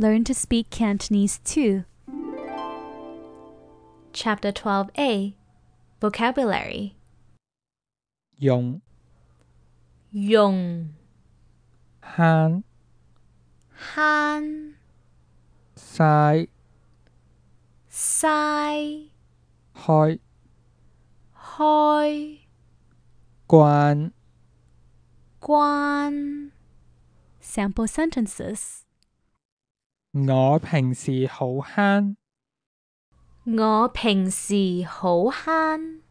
Learn to speak Cantonese too. Chapter 12a Vocabulary 用、用、慳、慳、嘥、嘥、開、開、關、關。 Sample sentences. 我平時好慳。我平時好慳。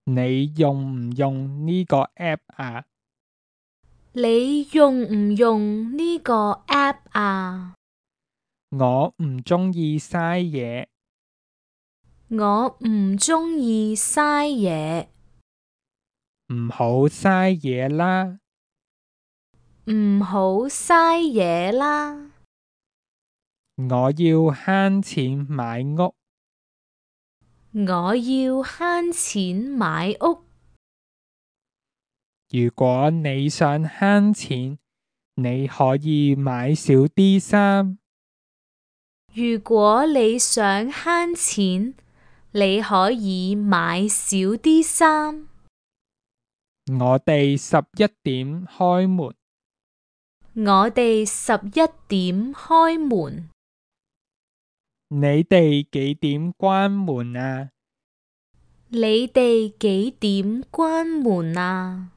你用唔用呢個 app 啊？你用唔用呢個 app 啊？我唔鍾意嘥嘢。我唔鍾意嘥嘢。唔好嘥嘢啦。唔好嘥嘢啦。我要慳錢買屋。我要慳錢買屋。如果你想慳錢，你可以買少啲衫。如果你想慳錢，你可以買少啲衫。我哋11點開門。我哋11點開門。你哋幾點關門啊？你哋幾點關門啊？